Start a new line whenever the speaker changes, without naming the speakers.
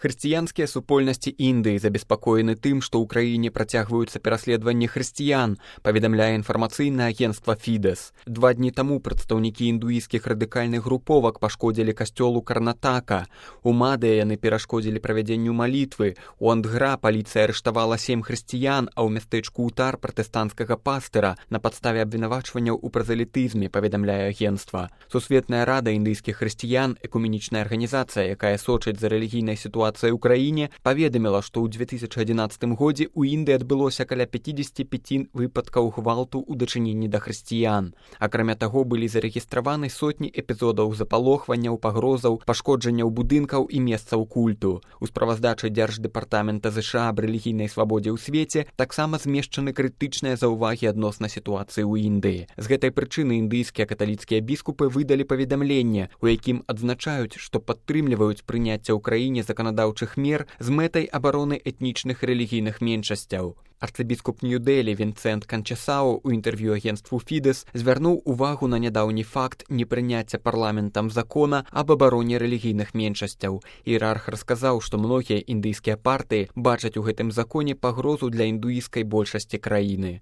Хрысціянскія супольнасці Індыі забеспакоены тым, што ў краіне працягваюцца пераследаванні хрысціян, паведамляе інфармацыйнае агенцтва Фідэс. 2 дні таму прадстаўнікі індуісцкіх радыкальных груповак пашкодзілі касцёлу Карнатака. У Мадыя яны перашкодзілі правядзенню малітвы. У Андгра паліцыя арыштавала 7 хрысціян, а ў мястэчку Утар пратэстанцкага пастыра на падставе абвінавачванняў у празелітызме, паведамляе агенцтва. Сусветная рада індыйскіх хрысціян, экуменічная арганізацыя, якая сочыць за рэлігійнай сітуацыяй ў краіне, паведаміла, што ў 2011 годзе ў Індыі адбылося каля 55 выпадкаў гвалту ў дачыненні да хрысціян. Акрамя таго, былі зарэгістраваны сотні эпізодаў запалохванняў, пагрозаў, пашкоджанняў будынкаў і месцаў культу. У справаздачы Дзярждэпартамента ЗША аб рэлігійнай свабодзе ў свеце таксама змешчаны крытычныя заўвагі адносна сітуацыі ў Індыі. З гэтай прычыны індыйскія каталіцкія біскупы выдалі паведамленне, у якім адзначаюць, што падтрымліваюць прыняцце ў краіне заканадаўчых мер з мэтай абароны этнічных рэлігійных меншасцяў. Арцыбіскуп Нью-Дэлі Вінцэнт Канчасау у інтэрв'ю агенцтву Фідэс звярнуў увагу на нядаўні факт непрыняцця парламентам закона аб абароне рэлігійных меншасцяў. Іерарх расказаў, што многія індыйскія партыі бачаць у гэтым законе пагрозу для індуісцкай большасці краіны.